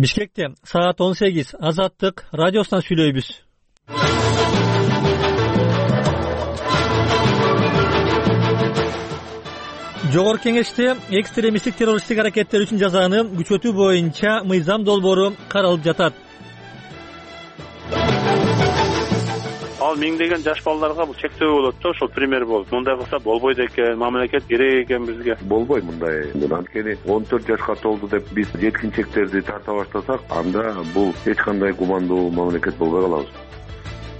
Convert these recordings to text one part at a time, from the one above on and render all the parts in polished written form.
Бишкекте саат 18 Азаттык радиосунан сүйлөйбүз. Жогорку Кеңеште экстремисттик террористтик аракеттер үчүн жазаны күчөтүү боюнча мыйзам долбоору каралып жатат. Ал миңдеген жаш балдарга бул чектөө болот да, ошол пример болуп. Мындай кылса болбойт экен, мамлекет керек экен бизге. Болбойт мындай. Анткени 14 жашка толду деп биз жеткинчектерди тарта баштасак, анда бул эч кандай гумандуу мамлекет болбой калабыз.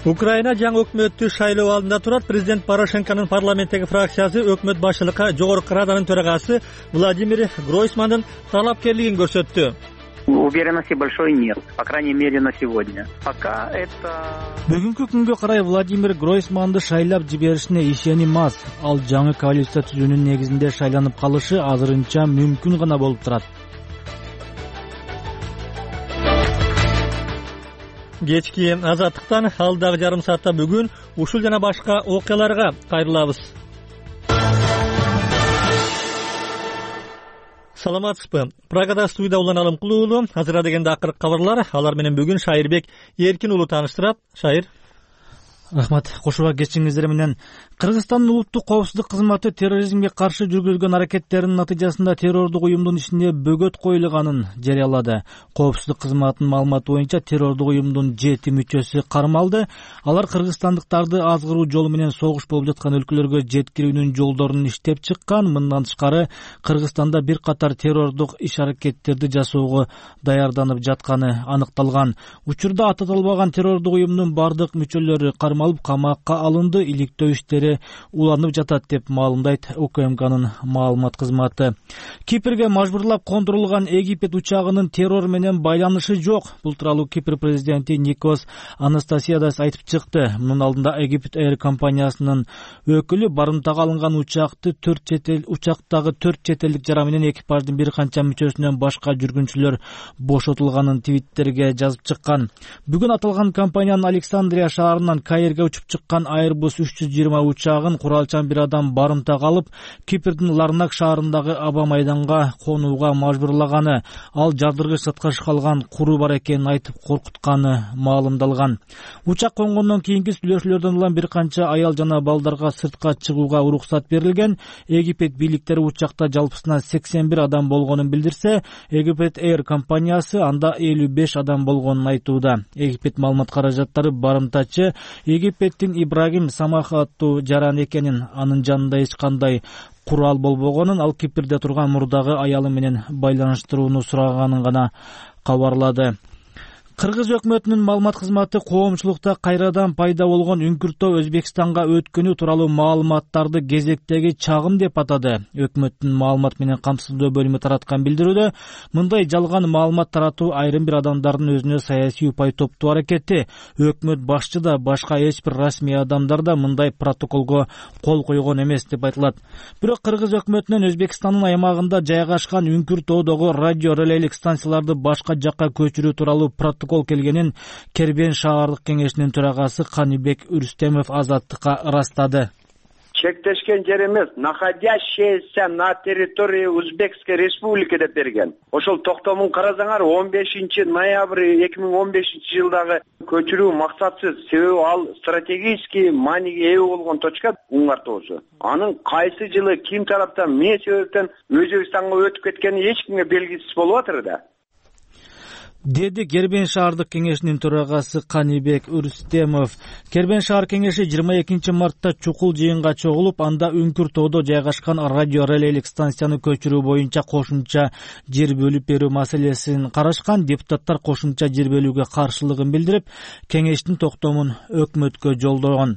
Украина жаңы өкмөттү шайлоо алдында турат. Президент Порошенконун парламенттеги фракциясы өкмөт башчылыкка Жогорку Раданын төрагасы Владимир Гройсмандын талапкерлигин көрсөттү. Уверенности большой нет, по крайней мере на сегодня. Пока это... Бүгүнкү күнгө карай Владимир Гройсманды шайлап жиберишине ишеним аз. Ал жаңы коалиция түзүүнүн негизинде шайланып калышы азырынча мүмкүн гана болуп турат. Кечки Азаттыктан алдагы жарым саатта бүгүн ушул жана башка окуяларга кайрылабыз. Саламатсызбы? Прагада студияда Улан Алымкулуу уулу. Азыр дегенде акыркы кабарлар. Алар менен бүгүн Шайырбек Эркин уулу тааныштырат. Шайыр. Рахмат. Кошууга кетишиңиздер менен Кыргызстандын улуттук коопсуздук кызматы терроризмге каршы жүргүзгөн аракеттеринин натыйжасында террордук уюмдун ичине бөгөт коюлганын жарыялады. Коопсуздук кызматынын маалыматы боюнча террордук уюмдун 7 мүчөсү кармалды. Алар кыргызстандыктарды азгыруу жолу менен согуш болуп жаткан өлкөлөргө жеткирүүнүн жолдорун иштеп чыккан. Мындан тышкары Кыргызстанда бир катар террордук иш-аракеттерди жасоого даярданып жатканы аныкталган. Учурда аталбаган террордук уюмдун бардык мүчөлөрү кармалып камакка алынды. Иликтөө иштери уланып жатат деп маалымдайт УКМКнын маалымат кызматы. Кипрге мажбурлап кондурулган Египет учагынын террор менен байланышы жок. Бул тууралуу Кипр президенти Никос Анастасиадас айтып чыкты. Мунун алдында Египет Air компаниясынын өкүлү барымтага алынган учактагы 4 чет элдик жара менен экипаждын бир канча мүчөсүнөн башка жүргүнчүлөр бошотулганын твиттерге жазып чыккан. Бүгүн аталган компаниянын Александрия шаарынан Каирге учуп чыккан Airbus 320 учагын куралчан бир адам барымтага алып, Кипрдин Ларнак шаарындагы аба майданга конууга мажбурлаганы, ал жардыргыч затка калган куру бар экенин айтып коркутканы маалымдалган. Учак конгондон кийинки сүйлөшүүлөрдөн улам бир канча аял жана балдарга сыртка чыгууга уруксат берилген. Египет бийликтери учакта жалпысынан 81 адам болгонун билдирсе, Египет Air компаниясы анда 55 адам болгонун айтууда. Египет маалымат каражаттары барымтачы Египеттин Ибрагим Самах аттуу жаран экенин, анын жанында эч кандай курал болбогонун, ал Кипрде турган мурдагы аялы менен байланыштырууну сураганын гана кабарлады. Кыргыз өкмөтүнүн маалымат кызматы коомчулукта кайрадан пайда болгон үңкүртөө Өзбекстанга өткөнү тууралуу маалыматтарды кезектеги чагым деп атады. Өкмөттүн маалымат менен камсыздоо бөлүмү тараткан билдирүүдө мындай жалган маалымат таратуу айрым бир адамдардын өзүнө саясий упай топтоо аракети. Өкмөт башчы да башка эч бир расмий адамдар да мындай протоколго кол койгон эмес деп айтылат. Бирок Кыргыз өкмөтүнүн Өзбекстандын аймагында жайгашкан үңкүртөөдөгү радио релейлик станцияларды башка жакка көчүрүү тууралуу протокол келгенин Кербен шаардык кеңешинин төрагасы Канибек Үрстемов Азаттыкка ырастады. Чектешкен жер эмес, находящаяся на территории Узбекской республики деп берген. Ошол токтомун карасаңар 15 ноябрь 2015 жылдагы көчүрүү максатсыз, себеби ал стратегический мааниге ээ болгон точка Уңар тоосу. Анын кайсы жылы ким тараптан эмне себептен Өзбекстанга өтүп кеткени эч кимге белгисиз болуп атыр да. Деди Кербен шаардык кеңешинин төрагасы Канибек Үрстемов. Кербен шаар кеңеши 22 мартта чукул жыйынга чогулуп, анда үңкүртөөдө жайгашкан радио релейлик станцияны көчүрүү боюнча кошумча жер бөлүп берүү маселесин карашкан. Депутаттар кошумча жер бөлүүгө каршылыгын билдирип, кеңештин токтомун өкмөткө жолдогон.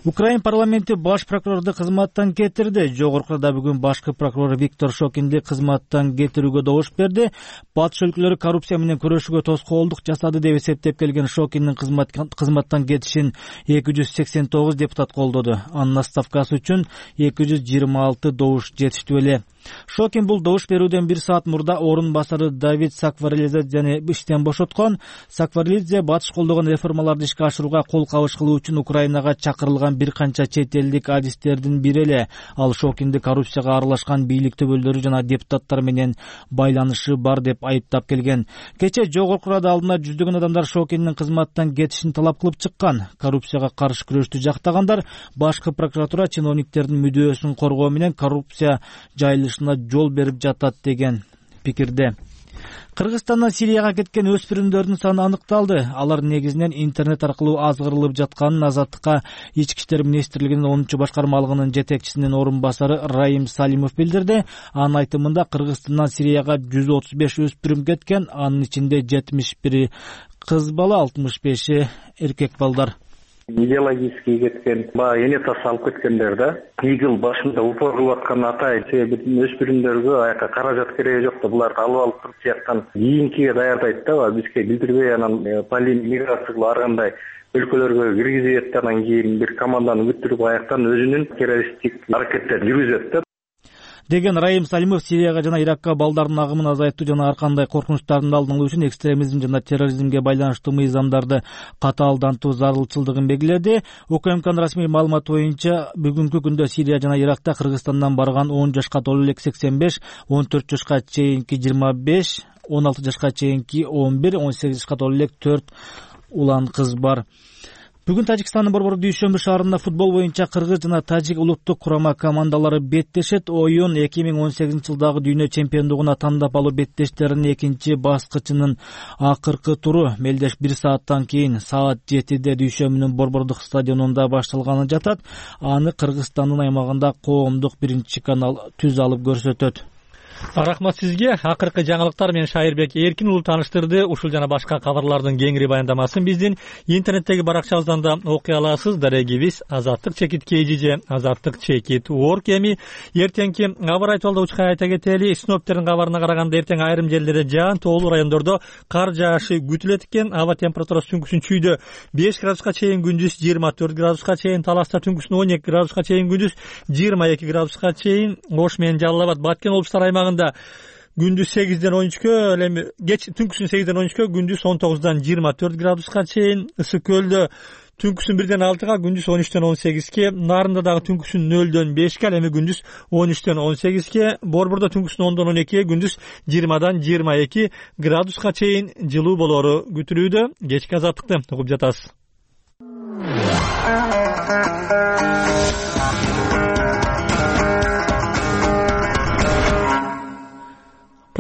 Украин парламенти баш прокурорду кызматтан кетирди. Жогоркуда бүгүн башкы прокурор Виктор Шокинди кызматтан кетирүүгө добуш берди. Батыш өлкөлөрү коррупция менен күрөшүүгө тоскоолдук жасады деп эсептеп келген Шокиндин кызматтан кетишин 289 депутат колдоду. Анын отставкасы үчүн 226 добуш жетиштүү эле. Шокин бул добуш берүүдөн 1 саат мурда орун басары Давид Сакварелидзени иштен бошоткон. Сакварелидзе батыш колдогон реформаларды ишке ашырууга кол кабыш кылуу үчүн Украинага чакырылды чыгарылган бир канча чет элдик адистердин бири эле. Ал Шокинди коррупцияга аралашкан бийлик төбөлдөрү жана депутаттар менен байланышы бар деп айыптап келген. Кече Жогорку Рада алдына жүздөгөн адамдар Шокиндин кызматтан кетишин талап кылып чыккан. Коррупцияга каршы күрөштү жактагандар башкы прокуратура чиновниктердин мүдөөсүн коргоо менен коррупция жайылышына жол берип жатат деген пикирде. Кыргызстандан Сирияга кеткен өспүрүмдөрдүн саны аныкталды. Алар негизинен интернет аркылуу азгырылып жатканын Азаттыкка Ички иштер министрлигинин 10-башкармалыгынын жетекчисинин орун басары Раим Салимов билдирди. Анын айтымында Кыргызстандан Сирияга 135 өспүрүм кеткен, анын ичинде 71 кыз бала, 65 эркек балдар. Идеологически кеткен, баягы энетасы алып кеткендер да. Игил башында упор кылып аткан атай, себеби өспүрүмдөргө аяка каражат кереги жок да, буларды алып туруп жактан кийинкиге даярдайт да, бизге билдирбей анан миграция кылып ар кандай өлкөлөргө киргизет, анан кийин бир команданы бүттүрүп аяктан өзүнүн террористтик аракеттерин жүргүзөт да деген Раим Салимов Сирияга жана Иракка балдардын агымын азайтуу жана ар кандай коркунучтардын алдын алуу үчүн экстремизм жана терроризмге байланыштуу мыйзамдарды катаалдантуу зарылчылдыгын белгиледи. УКМКнын расмий маалыматы боюнча бүгүнкү күндө Сирия жана Иракта Кыргызстандан барган 10 жашка толуу элек 85, 14 жашка чейинки 25, 16 жашка чейинки 11, 18 жашка толуу элек 4 улан кыз бар. Бүгүн Тажикстандын Борбор Дүйшөмбү шаарында футбол боюнча кыргыз жана тажик улуттук курама командалары беттешет. Оюн 2018-жылдагы дүйнө чемпиондугуна тандап алуу беттештеринин экинчи баскычынын акыркы туру мелдеш 1 сааттан кийин саат 7-де Дүйшөмбүнүн Борбордук стадионунда башталганы жатат. Аны Кыргызстандын аймагында коомдук биринчи канал түз алып көрсөтөт. Рахмат сизге. Акыркы жаңылыктар менен Шайырбек Эркин уулу тааныштырды. Ушул жана башка кабарлардын кеңири баяндамасын биздин интернеттеги баракчабыздан да окуй аласыз. Дарегибиз azattik.kg, azattik.org эми эртеңки кабар айтыбалда учкай айта кетели. Синоптиктердин кабарына караганда эртең айрым жерлерде жаан, тоолуу райондордо кар жаашы күтүлөт экен. Аба температурасы түнкүсүн чүйдө 5 градуска чейин, күндүз 24 градуска чейин, Таласта түнкүсүн 12 градуска чейин, күндүз 22 градуска чейин, Ош менен Жалал Абад, Баткен облустары аймагында күндүз 8ден 13кө, эми кеч түнкүсүн 8ден 13кө, күндүз 19дан 24 градуска чейин, Ысык көлдө түнкүсүн 1ден 6га, күндүз 13ден 18ке, Нарында дагы түнкүсүн 0дөн 5ке, эми күндүз 13ден 18ке, Борбордо түнкүсүн 10дон 12ге, күндүз 20дан 22 градуска чейин жылуу болору күтүлүүдө. Кечки азаттыкты угуп жатасыз.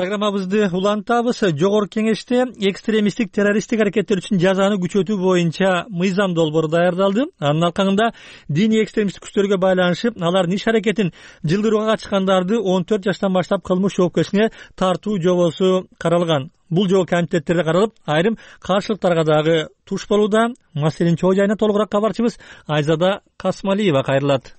Программабызды улантабыз. Жогорку Кеңеште экстремисттик террористтик аракеттер үчүн жазаны күчөтүү боюнча мыйзам долбоору даярдалды. Анын алкагында диний экстремисттик күчтөргө байланышып, алардын иш аракетин жылдырууга катышкандарды 14 жаштан баштап кылмыш жоопкерчиликке тартуу жобосу каралган. Бул жобо комитеттерде каралып, айрым каршылыктарга дагы туш болууда. Маселенин чоо жайына толугураак кабарчыбыз Айзада Касмалиева кайрылат.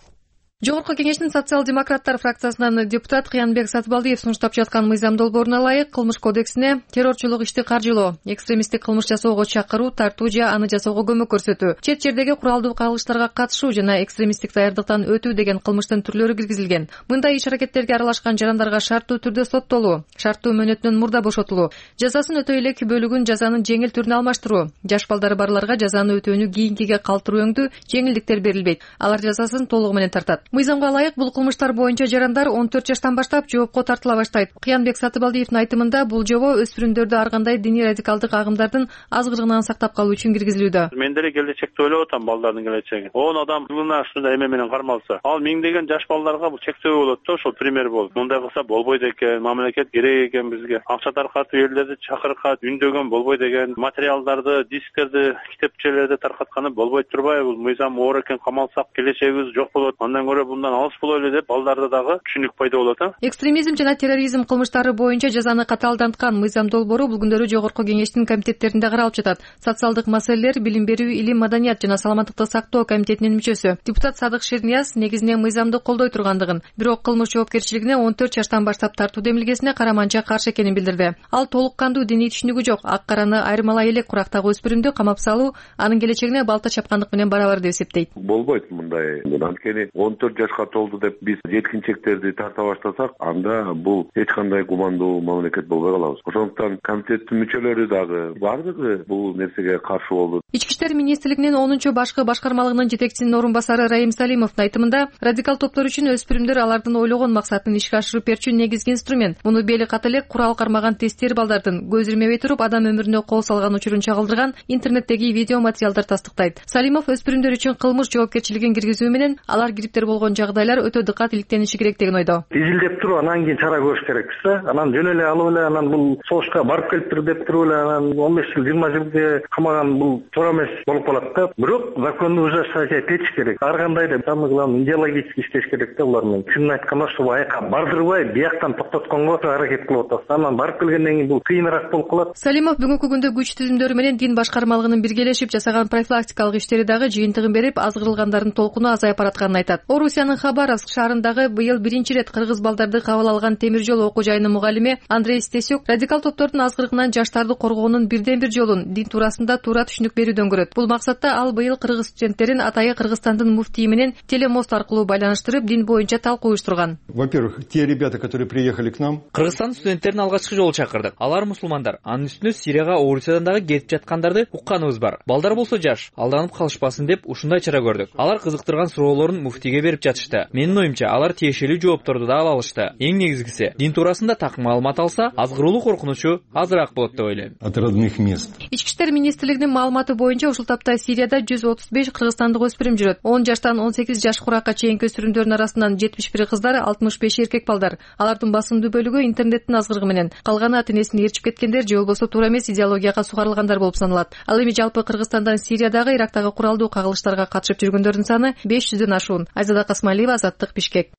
Жогорку Кеңештин социал-демократтар фракциясынан депутат Кыянбек Сатыбалдиев сунуштап жаткан мыйзам долбооруна ылайык кылмыш кодексине террорчулук ишти каржылоо, экстремисттик кылмыш жасоого чакыруу, тартуу же аны жасоого көмөк көрсөтүү, чет жердеги куралдуу кагылыштарга катышуу жана экстремисттик даярдыктан өтүү деген кылмыштын түрлөрү киргизилген. Мындай иш-аракеттерге аралашкан жарандарга шарттуу түрдө соттолуу, шарттуу мөөнөтүнөн мурда бошотулуу, жазасын өтөй элек бөлүгүн жазанын жеңил түрүнө алмаштыруу, жаш балдары барларга жазаны өтөөнү кийинкиге калтыруу өңдүү жеңилдиктер берилбейт. Алар жазасын толугу менен тартат. Мыйзамга ылайык бул кылмыштар боюнча жарандар 14 жаштан баштап жоопко тартыла баштайт. Кыянбек Сатыбалдиевдин айтымында бул жобо өспүрүмдөрдү ар кандай диний радикалдык агымдардын азгырыгынан сактап калуу үчүн киргизилүүдө. Мен деле келечекти ойлоп атам, балдардын келечеги. 10 адам жылына ушундай эме менен кармалса, ал миңдеген жаш балдарга бул чектөө болот да, ошол пример болот. Мындай кылса болбойт экен, мамлекет керек экен бизге. Акча таркатып элдерди чакыркат, үндөгөн болбойт экен, материалдарды, дисктерди, китепчелерди таркатканы болбойт турбайбы? Бул мыйзам оор экен, камалсак келечегибиз жок болот. Андан көрө bundan алыс болойлу деп балдарда дагы түшүнүк пайда болот. Экстремизм жана терроризм кылмыштары боюнча жазаны катаалданткан мыйзам долбоору бул күндөрү Жогорку Кеңештин комитеттеринде каралып жатат. Социалдык маселелер, билим берүү, илим, маданият жана саламаттыкты сактоо комитетинин мүчөсү депутат Садык Шернияз негизинен мыйзамды колдой тургандыгын, бирок кылмыш жоопкерчилигине 14 жаштан баштап тартуу демилгесине караманча каршы экенин билдирди. Ал толук кандуу диний түшүнүгү жок, ак караны айырмалай элек курактагы өспүрүмдү камап салуу анын келечегине балта чапкандык менен барабар деп эсептейт. Болбойт мындай. Анткени 14 14 жашка толду деп биз жеткинчектерди тарта баштасак, анда бул эч кандай гумандуу мамлекет болбой калабыз. Ошондуктан комитеттин мүчөлөрү дагы бардыгы бул нерсеге каршы болду. Ички иштер министрлигинин 10-башкы башкармалыгынын жетекчисинин орун басары Раим Салимовдун айтымында, радикал топтор үчүн өспүрүмдөр алардын ойлогон максатын ишке ашырып берчү негизги инструмент. Муну бели ката эле курал кармаган тестер балдардын көз ирмебей туруп адам өмүрүнө кол салган учурун чагылдырган интернеттеги видео материалдар тастыктайт. Салимов өспүрүмдөр үчүн кылмыш жоопкерчилигин киргизүү менен алар кириптер болгон жагдайлар өтө дыкат иликтениши керек деген ойдо. Изилдеп туруп анан кийин чара көрүш керекпиз да. Анан жөн эле алып эле анан бул согушка барып келиптир деп туруп эле анан 15 жыл 20 жылга камаган бул туура эмес болуп калат да. Бирок законду ужесточать этиш керек. Ар кандай да самый главный идеологически иштеш керек да булар менен. Чынын айтканда ошо аяка бардырбай бияктан токтотконго аракет кылып атабыз. Анан барып келгенден кийин бул кыйыныраак болуп калат. Салимов бүгүнкү күндө күч түзүмдөрү менен дин башкармалыгынын биргелешип жасаган профилактикалык иштери дагы жыйынтыгын берип, азгырылгандардын толкуну азайып баратканын айтат. Орусиянын Хабаровск шаарындагы быйыл биринчи ирет кыргыз балдарды кабыл алган темир жол окуу жайынын мугалими Андрей Стесюк радикал топтордун азгырыгынан жаштарды коргоонун бирден бир жолун дин туурасында туура түшүнүк берүүдөн көрөт. Бул максатта ал быйыл кыргыз студенттерин атайы Кыргызстандын муфтийи менен телемост аркылуу байланыштырып, дин боюнча талкуу уюштурган. Во-первых, те ребята, которые приехали к нам, Кыргызстан студенттерин алгачкы жолу чакырдык. Алар мусулмандар. Анын үстүнө Сирияга, Орусиядан дагы кетип жаткандарды укканыбыз бар. Балдар болсо жаш, алданып калышпасын деп ушундай чара көрдүк. Алар кызыктырган суроолорун муфтийге берип жатышты. Менин оюмча, алар тиешелүү жоопторду да ала алышты. Эң негизгиси, дин туурасында так маалымат алса, азгыруулуу коркунучу азыраак болот деп ойлойм. От родных мест. Ички иштер министрлигинин маалыматы боюнча ушул тапта Сирияда 135 кыргызстандык өспүрүм жүрөт. 10 жаштан 18 жаш куракка чейинки өспүрүмдөрдүн арасынан 71 кыздар, 65 эркек балдар. Алардын басымдуу бөлүгү интернеттин азгырыгы менен, калганы ата-энесин ээрчип кеткендер же болбосо туура эмес идеологияга сугарылгандар болуп саналат. Ал эми жалпы Кыргызстандан Сириядагы, Ирактагы куралдуу кагылыштарга катышып жүргөндөрдүн саны 500дөн ашуун. Айзада Касмалиева, Азаттык, Бишкек.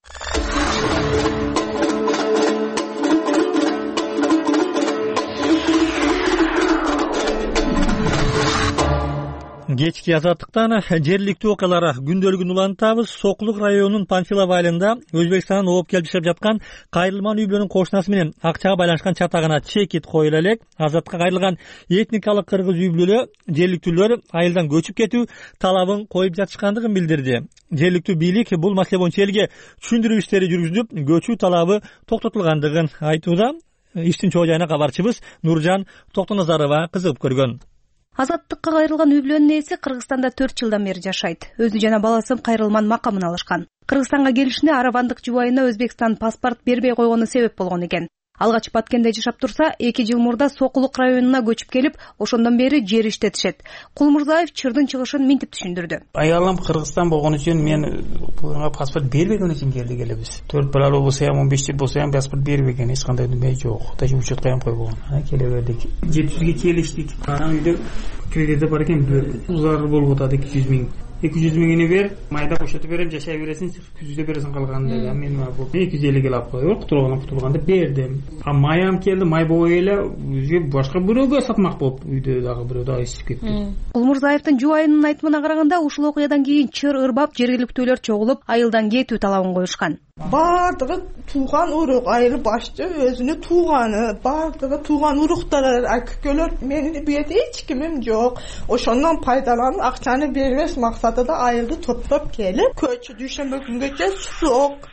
Кечки Азаттыктан жергиликтүү окуялар күндөлүгүн улантабыз. Сокулук районунун Панфилов айылында Өзбекстандан ооп келип жашап жаткан кайрылман үй бүлөнүн кошунасы менен акчага байланышкан чатагына чекит коюла элек. Азаттыкка кайрылган этникалык кыргыз үй бүлө жергиликтүүлөр айылдан көчүп кетүү талабын коюп жатышкандыгын билдирди. Жергиликтүү бийлик бул маселе боюнча элге түшүндүрүү иштери жүргүзүлүп, көчүү талабы токтотулгандыгын айтууда. Иштин чоо жайына кабарчыбыз Нуржан Токтоназарова кызыгып көргөн. Азаттыкка кайрылган үй бүлөнүн ээси Кыргызстанда 4 жылдан бери жашайт. Өзү жана баласы кайрылман макамын алышкан. Кыргызстанга келишине аравандык жубайына Өзбекстан паспорт бербей койгону себеп болгон экен. Ал качып Баткенде жашап турса, 2 жыл мурда Сокулук районуна көчүп келип, ошондон бери жер иштетишет. Кулмурзаев чырдын чыгышын минтип түшүндүрдү. Аялым Кыргызстан болгон үчүн мен буга паспорт бербеген үчүн келебиз. 4 балалы болсо ham 15 жыл болсо ham паспорт бербеген, эч кандай неме жок. Даже учетко ham койбогон. Келе бердик. 700ге келиштик. Анан үйдө кредити бар экен, зарыл болуп атат 200 миң. 200 миңini бер, майда кошотуп берем, жашай бересиң, күздө бересиң калганын деди. Мен бул 250 келип коюп, кутулганда бердим. Майам келди, май бой эле өзгө башка бирөөгө сатмак болуп, үйдө дагы бирөө дагы ичип кетти. Кулмурзаевдин жубайынын айтымына караганда, ушул окуядан кийин чыр ырбап жергиликтүүлөр чогулуп, айылдан кетүү талабын коюшкан. Бардыгы тууган урук, айыл башчы өзүнүн тууганы, бардыгы тууган уруктар, акекелер, менин бүйөтө эч кимим жок. Ошондон пайдаланып, акчаны бербеш максатында айылды топтоп келип, көчү дүйшөмбү күнгөчө сок.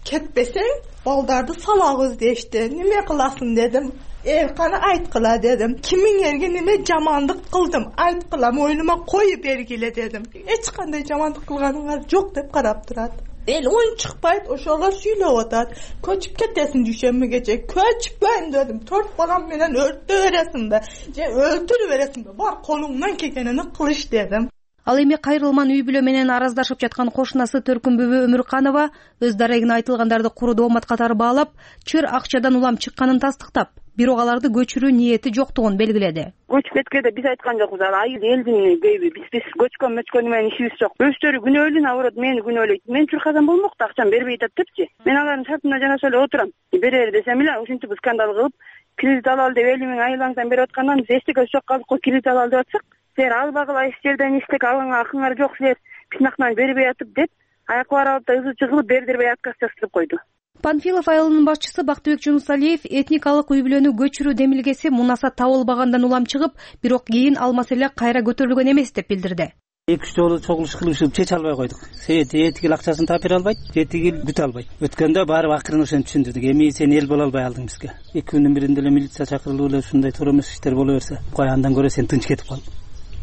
Кетпесең, балдарды салабыз дешти. Неме кыласың дедим. Эрканы айткыла дедим. Кимиңерге неме жамандык кылдым, айткыла, мойнума коюп бергиле дедим. Эч кандай жамандык кылганыңар жок деп карап турат. Эл оюн чыкпайт, ошолор сүйлөп атат. Көчүп кетесиң дүйшөмбүгөчө. Көчпөйм дедим. 4 балам менен өрттө бересиңби же өлтүрүп бересиңби? Бар колуңдан келгенини кылыш дедим. Ал эми кайрылман үй бүлө менен араздашып жаткан кошунасы Төркүнбүбү Өмүрканова өз дарегине айтылгандарды куру доомат катары баалап, чыр акчадан улам чыкканын тастыктап, бирок аларды көчүрүү ниети жоктугун белгиледи. Көчүп кеткенде биз айткан жокпуз, айыл элдин көйбү, биз көчкөн менен ишибиз жок. Өздөрү күнөөлүн абырот, мени күнөөлөйт. Мен чурказан болмокто, акчам бербей атат депчи. Мен алардын шартына жанаша эле отурам. Берер десем эле ушинтип скандал кылып, кредит алалы деп 50 миң айылыңыздан берип аткандан биз эчтеке жок калдык го, кредит алалы деп атсак, силер албагыла эч жерден эчтеке алыңар акыңар жок, силер бисмактан бербей атып деп, аяк бар алып да ызы чыгылып бердирбей отказ жаздырып койду. Панфилов айылынын башчысы Бактыбек Жунусалиев этникалык үй бүлөнү көчүрүү демилгеси мунаса табылбагандан улам чыгып, бирок кийин ал маселе кайра көтөрүлгөн эмес деп билдирди. 2-3 жолу чогулуш кылышып чече албай койдук. Себеби этигил акчасын таап бере албайт, этигил бүтө албайт. Өткөндө баары акырын ошентип түшүндүрдүк. Эми сен эл боло албай алдың бизге. 2 күндүн биринде эле милиция чакырылып эле ушундай туура эмес иштер боло берсе, кой андан көрө сен тынч кетип кал.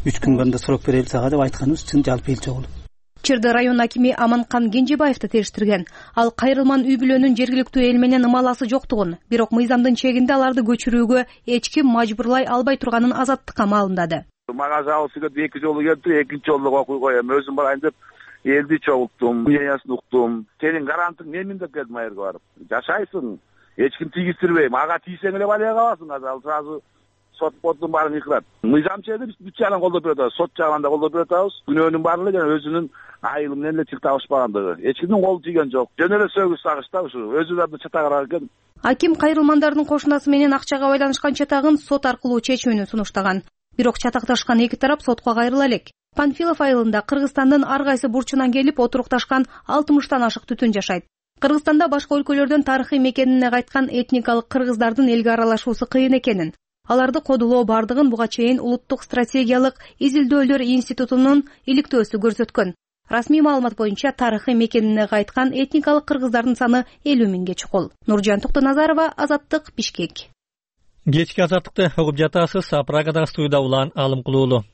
3 күн банда срок берели сага деп айтканыбыз чын жалпы эл чогулуп. Чырды район акими Аманкан Кенжебаевди териштирген. Ал кайрылман үй бүлөнүн жергиликтүү эл менен ымаласы жоктугун, бирок мыйзамдын чегинде аларды көчүрүүгө эч ким мажбурлай албай турганын Азаттыкка маалымдады. Мага жабылып 2 жолу келди, 2-нчи жолу окуй коем. Өзүм барайын деп элди чогулттум, мнениясын уктум. Сенин гарантың менмин деп келдим айырга барып. Жашайсың, эч ким тийгиздирбейм. Ага тийсең эле балия каласың. Ал сразу сот бодун баарын йкырат. Мыйзам чегинде биз бүт жагынан колдоп берип атабыз, сот жагынан да колдоп берип атабыз. Күнөөнүн баары эле жана өзүнүн айылы менен эле чык табышпагандыгы. Эч кимдин колу тийген жок. Жөн эле сөгүс сагышта ушу өзүлөрүнүн чатагырак экен. Аким кайрылмандардын кошунасы менен акчага байланышкан чатагын сот аркылуу чечүүнү сунуштаган. Бирок чатакташкан эки тарап сотко кайрыла элек. Панфилов айылында Кыргызстандын ар кайсы бурчунан келип отурукташкан 60тан ашык түтүн жашайт. Кыргызстанда башка өлкөлөрдөн тарыхый мекенине кайткан этникалык кыргыздардын элге аралашуусу кыйын экенин, аларды кодулоо бардыгын буга чейин Улуттук стратегиялык изилдөөлөр институтунун иликтөөсү көрсөткөн. Расмий маалымат боюнча тарыхый мекенине кайткан этникалык кыргыздардын саны 50 миңге чукул. Нуржан Токтоназарова, Азаттык, Бишкек. Кечки Азаттыкты угуп жатасыз. Прагадагы студияда Улан Алымкулуулу.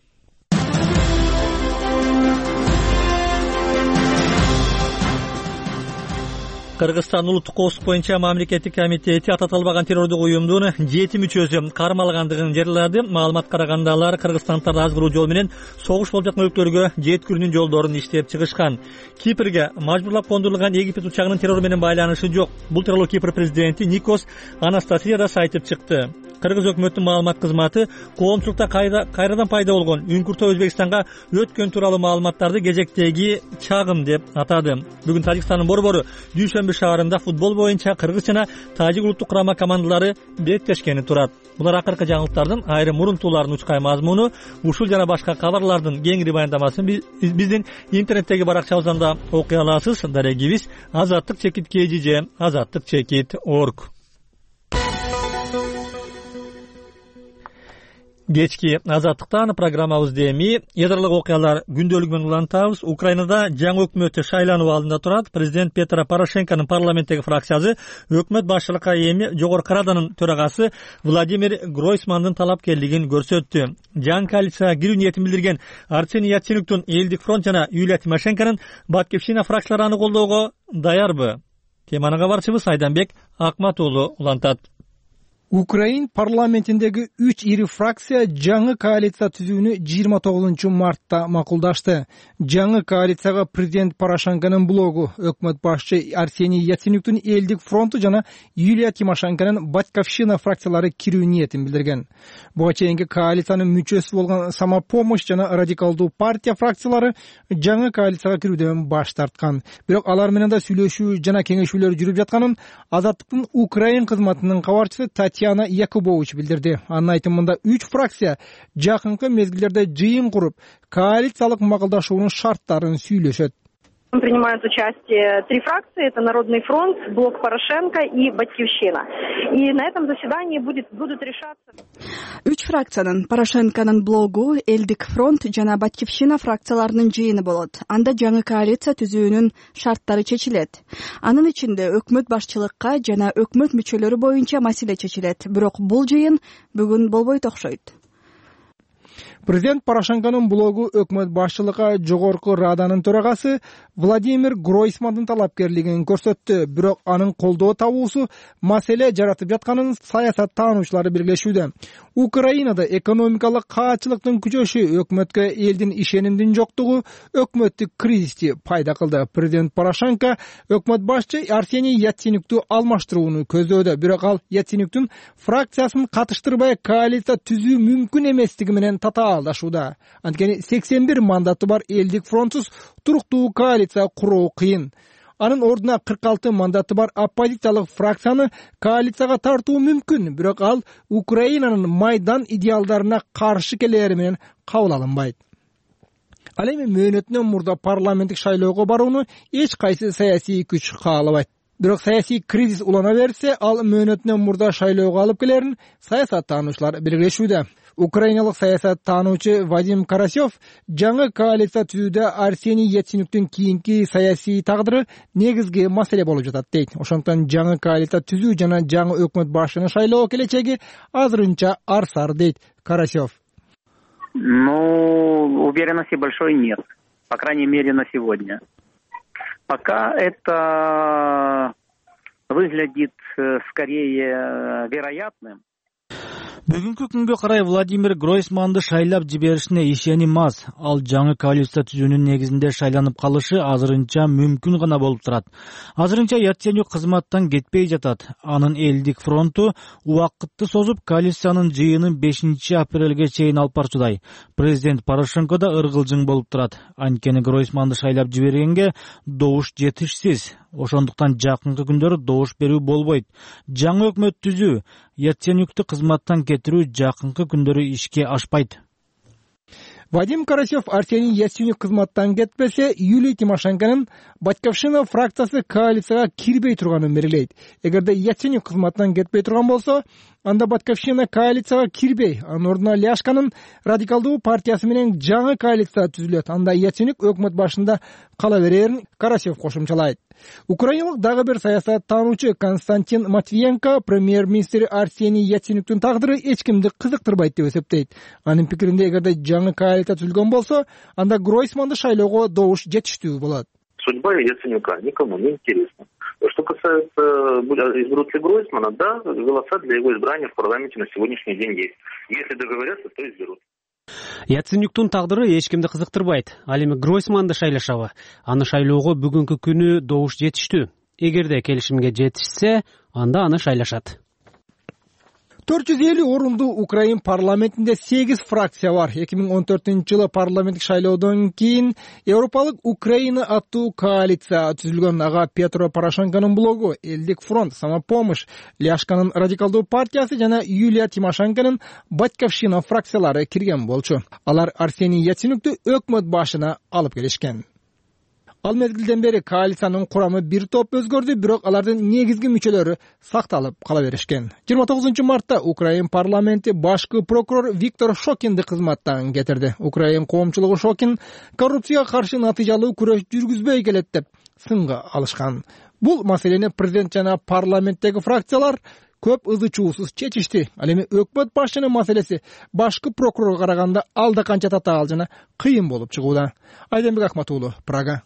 Кыргызстан улуттук коопсуздук боюнча мамлекеттик комитети ататылбаган террордук уюмдун 7 мүчөсү кармалгандыгын жарыялады. Маалымат караганда алар Кыргызстандарды азгыруу жол менен согуш болуп жаткан өлкөлөргө жеткирүүнүн жолдорун иштеп чыгышкан. Кипрге мажбурлап кондурулган Египет учагынын террор менен байланышы жок. Бул тууралуу Кипр президенти Никос Анастасия да айтып чыкты. Кыргыз өкмөтүнүн маалымат кызматы коомчулукта кайрадан пайда болгон үңкүртө Өзбекстанга өткөн тууралуу маалыматтарды кезектеги чагым деп атады. Бүгүн Тажикстандын борбору Дүйшөмбү шаарында футбол боюнча Кыргыз жана Тажик улуттук курама командалары беттешкени турат. Булар акыркы жаңылыктардын айрым мурунтууларын учкай мазмуну, ушул жана башка кабарлардын кеңири баяндамасын биздин интернеттеги баракчабыздан да окуй аласыз. Дарегибиз azattik.kgj azattik.org. Кечки Азаттыктан программабызды эми ядралык окуялар күндөлүгү менен улантабыз. Украинада жаңы өкмөт шайлануу алдында турат. Президент Петро Порошенконун парламенттеги фракциясы өкмөт башчылыкка эми Жогорку Раданын төрагасы Владимир Гройсмандын талапкерлигин көрсөттү. Жаңы коалицияга кирүү ниетин билдирген Арсений Яценюктун Элдик фронт жана Юлия Тимошенконун Баткивщина фракциялары аны колдоого даярбы? Теманы кабарчыбыз Айданбек Акматуулу улантат. Украин парламентиндеги 3 ири фракция жаңы коалиция түзүүнү 29 мартта макулдашты. Жаңы коалицияга президент Порошенконун блогу, өкмөт башчы Арсений Яценюктун Элдик фронту жана Юлия Тимошенконун Батьковщина фракциялары кирүү ниетин билдирген. Буга чейинки коалициянын мүчөсү болгон Самопомощь жана Радикалдуу партия фракциялары жаңы коалицияга кирүүдөн баш тарткан. Бирок алар менен да сүйлөшүү жана кеңешүүлөр жүрүп жатканын Азаттыктын Украин кызматынын кабарчысы Татьяна Якубович билдирди. Анын айтымында 3 фракция жакынкы мезгилдерде жыйын куруп, коалициялык макулдашуунун шарттарын сүйлөшөт. Принимают участие 3 фракции, это Народный фронт, Блок Порошенко и Батьковщина. И на этом заседании будут решаться... 3 фракциянын Порошенконун блогу, Элдик фронт жана Батьковщина фракцияларынын жыйыны болот. Анда жаңы коалиция түзүүнүн шарттары чечилет. Анын ичинде өкмөт башчылыкка жана өкмөт мүчөлөрү боюнча маселе чечилет. Бирок бул жыйын бүгүн болбойт окшойт. Президент Порошенконун блогу өкмөт башчылыкка Жогорку Раданын төрагасы Владимир Гройсмандын талапкерлигин көрсөттү. Бирок анын колдоо табуусу маселе жаратып жатканын саясаттануучулары белгилешүүдө. Украинада экономикалык каатчылыктын күчөшү өкмөткө элдин ишенимдин жоктугу өкмөттүк кризисти пайда кылды. Президент Порошенко өкмөт башчы Арсений Яценюкту алмаштырууну көздөөдө. Бирок ал Яценюктун фракциясын катыштырбай коалиция түзүү мүмкүн эместиги менен татаалдашууда. Анткени 81 мандаты бар Элдик фронтсуз туруктуу коалиция куруу кыйын. Анын ордуна 46 мандаты бар оппозициялык фракцияны коалицияга тартуу мүмкүн, бирок ал Украинанын Майдан идеалдарына каршы келери менен кабыл алынбайт. Ал эми мөөнөтүнөн мурда парламенттик шайлоого барууну эч кайсы саясий күч каалабайт. Бирок саясий кризис улана берсе, ал мөөнөтүнөн мурда шайлоого алып келерин саясаттануучулар белгилешүүдө. Украиналык саясаттануучу Вадим Карасев жаңы коалиция түзүүдө Арсений Яценюктун кийинки саясий тагдыры негизги маселе болуп жатат дейт. Ошондуктан жаңы коалиция түзүү жана жаңы өкмөт башчыны шайлоо келечеги азырынча арсар дейт Карасев. Уверенности большой нет, по крайней мере на сегодня. Пока это выглядит скорее вероятным. Бүгүнкү күнгө карай Владимир Гройсманды шайлап жиберишине ишеним аз. Ал жаңы коалиция түзүүнүн негизинде шайланып калышы азырынча мүмкүн гана болуп турат. Азырынча Яценюк кызматтан кетпей жатат. Анын элдик фронту убакытты созуп коалициянын жыйынын 5-апрелге чейин алып барчудай. Президент Порошенко да ыргылжың болуп турат. Анткени Гройсманды шайлап жибергенге добуш жетишсиз. Ошондуктан жакынкы күндөрү добуш берүү болбойт. Жаңы өкмөт түзүү, Яценюкту кызматтан кетирүү жакынкы күндөрү ишке ашпайт. Вадим Карасев Арсений Яценюк кызматтан кетпесе, Юлия Тимошенконун Батьковщина фракциясы коалицияга кирбей турганын белгилейт. Эгерде Яценюк кызматтан кетпей турган болсо, анда Батьковщина коалицияга кирбей, анын ордуна Ляшканын радикалдуу партиясы менен жаңы коалиция түзүлөт. Анда Яценюк өкмөт башында кала берерин Карасев кошумчалайт. Украиналык дагы бир саясаттануучу Константин Матвиенко премьер-министр Арсений Яценюктун тагдыры эч кимди кызыктырбайт деп эсептейт. Анын пикиринде, эгерде жаңы коалиция түзүлгөн болсо, анда Гройсманды шайлоого добуш жетиштүү болот. Судьба Яценюка никому не интересна. Что касается, изберут ли Гройсмана, да, голоса для его избрания в парламенте на сегодняшний день есть. Если договорятся, то изберут. Яценюктун тагдыры эч кимди кызыктырбайт. Ал эми Гройсманды шайлашабы? Аны шайлоого бүгүнкү күнү добуш жетиштүү. Эгерде келишимге жетишсе, анда аны шайлашат. 450 орунду Украин парламентинде 8 фракция бар. 2014-жылы парламенттик шайлоодон кийин Европалык Украина аттуу коалиция түзүлгөн. Ага Петро Порошенконун блогу, Элдик фронт, Самопомощь, Ляшканын радикалдуу партиясы жана Юлия Тимошенконун Батьковщина фракциялары кирген болчу. Алар Арсений Яценюкту өкмөт башына алып келишкен. Ал мезгилден бери коалициянын курамы бир топ өзгөрдү, бирок алардын негизги мүчөлөрү сакталып кала беришкен. 29 мартта Украин парламенти башкы прокурор Виктор Шокинди кызматтан кетирди. Украин коомчулугу Шокин коррупцияга каршы натыйжалуу күрөш жүргүзбөй келет деп сынга алышкан. Бул маселени президент жана парламенттеги фракциялар көп ызы чуусуз чечишти. Ал эми өкмөт башчынын маселеси башкы прокурорго караганда алда канча татаал жана кыйын болуп чыгууда. Айденбек Акмат уулу, Прага.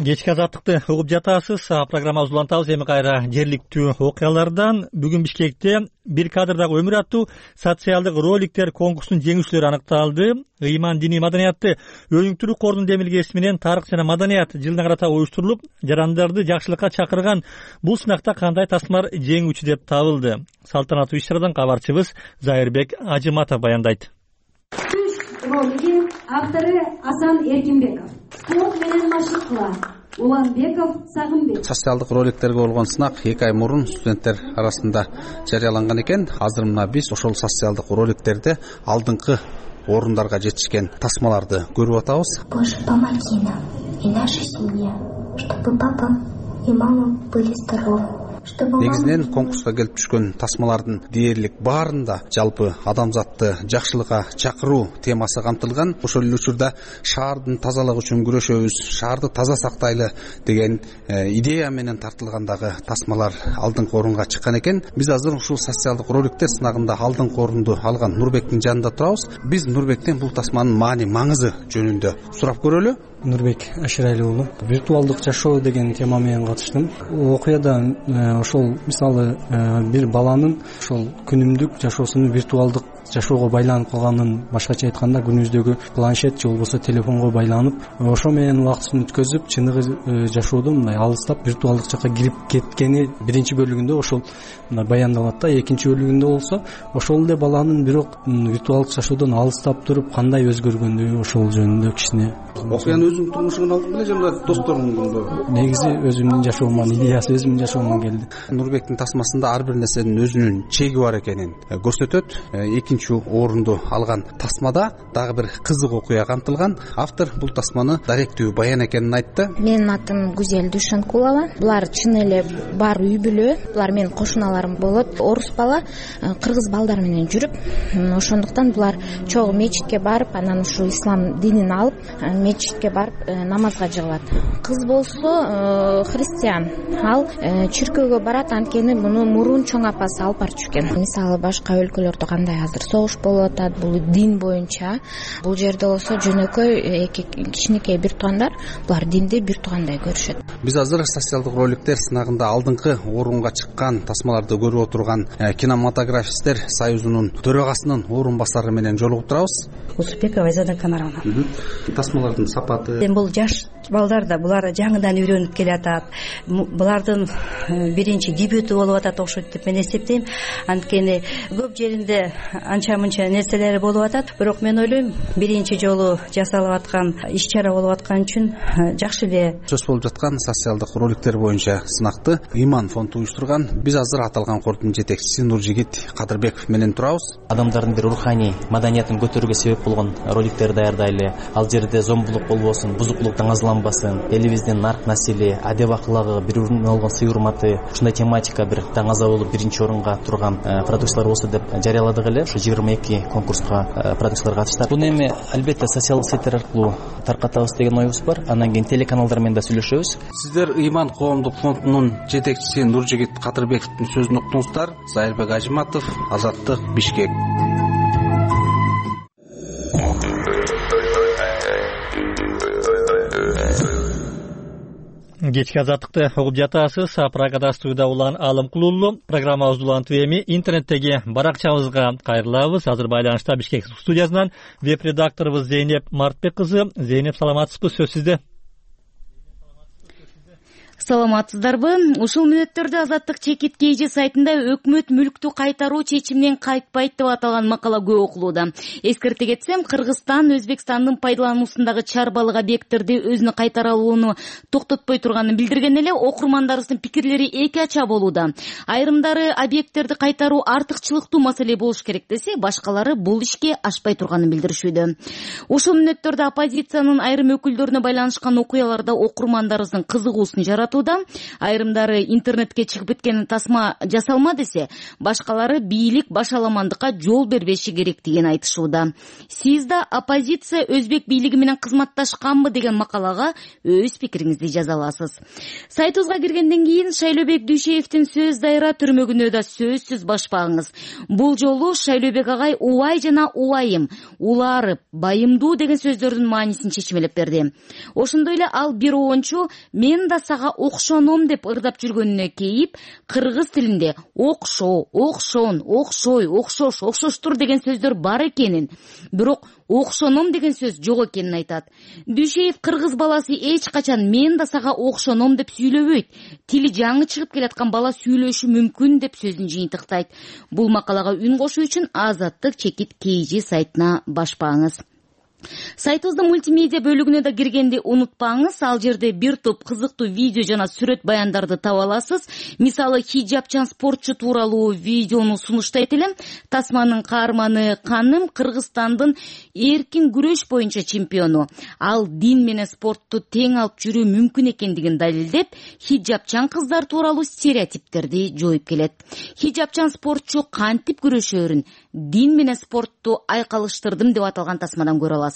Кечки азаттыкты угуп жатасыз. Программабызды улантабыз эми кайра жергиликтүү окуялардан. Бүгүн Бишкекте бир кадрдагы өмүр аттуу социалдык роликтер конкурсунун жеңүүчүлөрү аныкталды. Ыйман диний маданиятты өнүктүрүү корунун демилгеси менен тарых жана маданият жылына карата уюштурулуп, жарандарды жакшылыкка чакырган бул сынакта кандай тасмалар жеңүүчү деп табылды. Салтанаттуу иш-чарадан кабарчыбыз Зайырбек Ажыматов баяндайт. Ролиги автору Асан Эркинбеков. Спорт менен машыкла Уланбеков Сагынбек. Социалдык роликтерге болгон сынак 2 ай мурун студенттер арасында жарыяланган экен. Азыр мына биз ошол социалдык роликтерде алдыңкы орундарга жетишкен тасмаларды көрүп атабыз. Боже, помоги нам и нашей семье, чтобы папа и мама были здоровы. Негизинен конкурска келип түшкөн тасмалардын дээрлик баарында жалпы адамзатты жакшылыкка чакыруу темасы камтылган. Ошол эле учурда шаардын тазалыгы үчүн күрөшөбүз, шаарды таза сактайлы деген идея менен тартылгандагы тасмалар алдыңкы орунга чыккан экен. Биз азыр ушул социалдык роликтер сынагында алдыңкы орунду алган Нурбектин жанында турабыз. Биз Нурбектен бул тасманын маани маңызы жөнүндө сурап көрөлү. Нурбек Аширали уулу. Виртуалдык жашоо деген тема менен катыштым. Окуяда ошол мисалы бир баланын ошол күнүмдүк жашоосунун виртуалдык жашоого байланып калганын, башкача айтканда күнүбүздөгү планшет же болбосо телефонго байланып, ошо менен убактысын өткөзүп, чыныгы жашоодон мындай алыстап виртуалдык жакка кирип кеткени биринчи бөлүгүндө ошол мындай баяндалат да. Экинчи бөлүгүндө болсо ошол эле баланын бирок виртуалдык жашоодон алыстап туруп кандай өзгөргөнү ошол жөнүндө кичине. Окуяны өзүңдүн турмушуңан алдың беле же мына досторуңдун? Негизи өзүмдүн жашоомдун идеясы өзүмдүн жашоомдон келди. Нурбектин тасмасында ар бир нерсенин өзүнүн чеги бар экенин көрсөтөт. Экинчи орунду алган тасмада дагы бир кызык окуя камтылган. Автор бул тасманы даректүү баян экенин айтты. Менин атым Гүзел Дүйшөнкулова. Булар чын эле бар үй бүлө. Булар менин кошуналарым болот. Орус бала кыргыз балдар менен жүрүп, ошондуктан булар чогуу мечитке барып, анан ушу ислам динин алып, мечитке барып намазга жыгылат. Кыз болсо христиан. Ал чиркөөгө барат, анткени муну мурун чоң апасы алып барчу экен. Мисалы башка өлкөлөрдө кандай азыр согуш болуп атат, бул дин боюнча. Бул жерде болсо жөнөкөй эки кичинекей бир туугандар, булар динди бир туугандай көрүшөт. Биз азыр социалдык роликтер сынагында алдыңкы орунга чыккан тасмаларды көрүп отурган кинематографисттер союзунун төрагасынын орун басары менен жолугуп турабыз. Усупекова Айзада Канаровна. Тасмалардын сапаты. Бул жаш балдар да булар жаңыдан үйрөнүп келатат. Булардын биринчи дебюту болуп атат окшойт деп мен эсептейм. Анткени көп жеринде анча мынча нерселери болуп атат, бирок мен ойлойм биринчи жолу жасалып аткан иш-чара болуп аткан үчүн жакшы эле. Сөз болуп жаткан социалдык роликтер боюнча сынакты Иман фонду уюштурган. Биз азыр аталган кордун жетекчиси Нуржигит Кадырбеков менен турабыз. Адамдардын бир руханий маданиятын көтөрүүгө себеп болгон роликтер даярдайлы. Ал жерде зомбулук болбосун, бузуклук таңазаланбасын, элибиздин нарк насили, адеп аклагы, бири бирине болгон сый урматы, ушундай тематика бир таңаза болуп биринчи орунга турган продукциялар болсо деп жарыяладык эле. Ушу 22 конкурска продукциялар катышты. Буну эми албетте социалдык сеттер аркылуу таркатабыз деген оюбуз бар. Андан кийин телеканалдар менен да сүйлөшөбүз. Сиздер Иман коомдук фондунун жетекчиси Нуржигит Кадырбековдун сөзүн уктуңуздар. Зайырбек Ажиматов, Азаттык, Бишкек. Кечки Азаттыкты угуп жатасыз. Прагада студияда улан Алым Кулулу. Программабызды улантып эми интернеттеги баракчабызга кайрылабыз. Азыр байланышта Бишкек студиясынан веб-редакторубуз Зейнеп Мартбек кызы. Зейнеп, саламатсызбы? Сөз сизде. Саламатсыздарбы? Ушул мүнөттөрдө Азаттык чекит KG сайтында өкмөт мүлктү кайтаруу чечиминен кайтпайт деп аталган макала көп окулууда. Эскерте кетсем, Кыргызстан Өзбекстандын пайдалануусундагы чарбалык объекттерди өзүнө кайтара алууну токтотпой турганын билдирген эле окурмандарыбыздын пикирлери эки ача болууда. Айрымдары объекттерди кайтаруу артыкчылыктуу маселе болуш керек десе, башкалары бул ишке ашпай турганын билдиришүүдө. Ушул мүнөттөрдө оппозициянын айрым өкүлдөрүнө байланышкан окуяларда окурмандарыбыздын кызыгуусун жаратуу. Айрымдары интернетке чыгып кеткен тасма жасалма десе, башкалары бийлик башаламандыкка жол бербеши керек деген айтышууда. Сиз да оппозиция Өзбек бийлиги менен кызматташканбы деген макалага өз пикириңизди жаза аласыз. Сайтыбызга киргенден кийин Шайлообек Дүйшеевдин сөз дайыра түрмөгүнө да сөзсүз башпаңыз. Бул жолу Шайлообек агай убай жана убайым, уларып, байымдуу деген сөздөрдүн маанисин чечмелеп берди. Ошондой эле ал бир оончу мен да сага окшоном деп ырдап жүргөнүнө кейип, кыргыз тилинде окшоо, окшон, окшой, окшош, окшоштур деген сөздөр бар экенин, бирок окшоном деген сөз жок экенин айтат. Дүйшеев кыргыз баласы эч качан мен да сага окшоном деп сүйлөбөйт. Тили жаңы чыгып келаткан бала сүйлөшү мүмкүн деп сөзүн жыйынтыктайт. Бул макалага үн кошуу үчүн Азаттык чекит KG сайтына башпаңыз. Сайтыбыздын мультимедиа бөлүгүнө да киргенди унутпаңыз. Ал жерде бир топ кызыктуу видео жана сүрөт баяндарды таба аласыз. Мисалы, хиджабчан спортчу тууралуу видеону сунуштайт элем. Тасманын каарманы Каным Кыргызстандын эркин күрөш боюнча чемпиону. Ал дин менен спортту тең алып жүрүү мүмкүн экендигин далилдеп, хиджабчан кыздар тууралуу стереотиптерди жоюп келет. Хиджабчан спортчу кантип күрөшөөрүн, дин менен спортту айкалыштырдым деп аталган тасмадан көрө аласыз.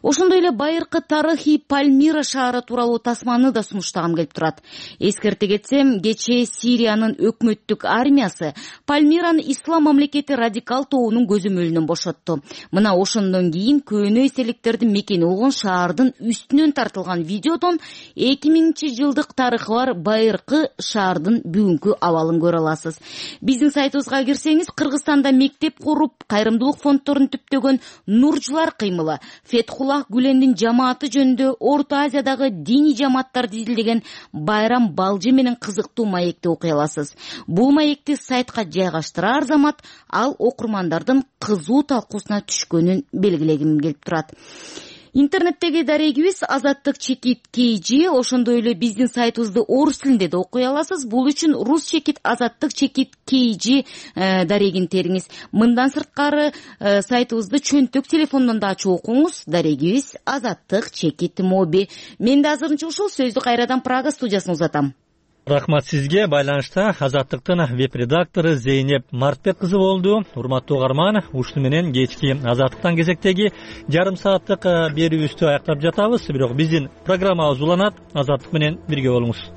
Ошондой эле байыркы тарыхый Пальмира шаары тууралуу тасманы да сунуштагым келип турат. Эскерте кетсем, кечээ Сириянын өкмөттүк армиясы Пальмираны ислам мамлекети радикал тобунун көзөмөлүнөн бошотту. Мына ошондон кийин көөнө эселиктердин мекени болгон шаардын үстүнөн тартылган видеодон 2000-жылдык тарыхы бар байыркы шаардын бүгүнкү абалын көрө аласыз. Биздин сайтыбызга кирсеңиз, Кыргызстанда мектеп куруп, кайрымдуулук фонддорун түптөгөн Нуржулар кыймылы, Фетхуллах Гүлендин жамааты жөнүндө Орто Азиядагы диний жамааттарды изилдеген Байрам Балжы менен кызыктуу маекти окуй аласыз. Бул маекти сайтка жайгаштырар замат ал окурмандардын кызуу талкуусуна түшкөнүн белгилегим келип турат. Интернеттеги дарегибиз Азаттык чекит KG, ошондой эле биздин сайтыбызды орус тилинде да окуй аласыз. Бул үчүн рус чекит Азаттык чекит KG дарегин териңиз. Мындан сырткары сайтыбызды чөнтөк телефондон да ачып окуңуз. Дарегибиз Азаттык чекит моби. Мен да азырынча ушул сөздү кайрадан Прага студиясына узатам. Рахмат сизге. Байланышта Азаттыктын веб-редактору Зейнеп Мартбек кызы болду. Урматтуу угарман, ушуну менен кечки Азаттыктан кезектеги жарым сааттык берүүбүздү аяктап жатабыз. Бирок биздин программабыз уланат. Азаттык менен бирге болуңуз.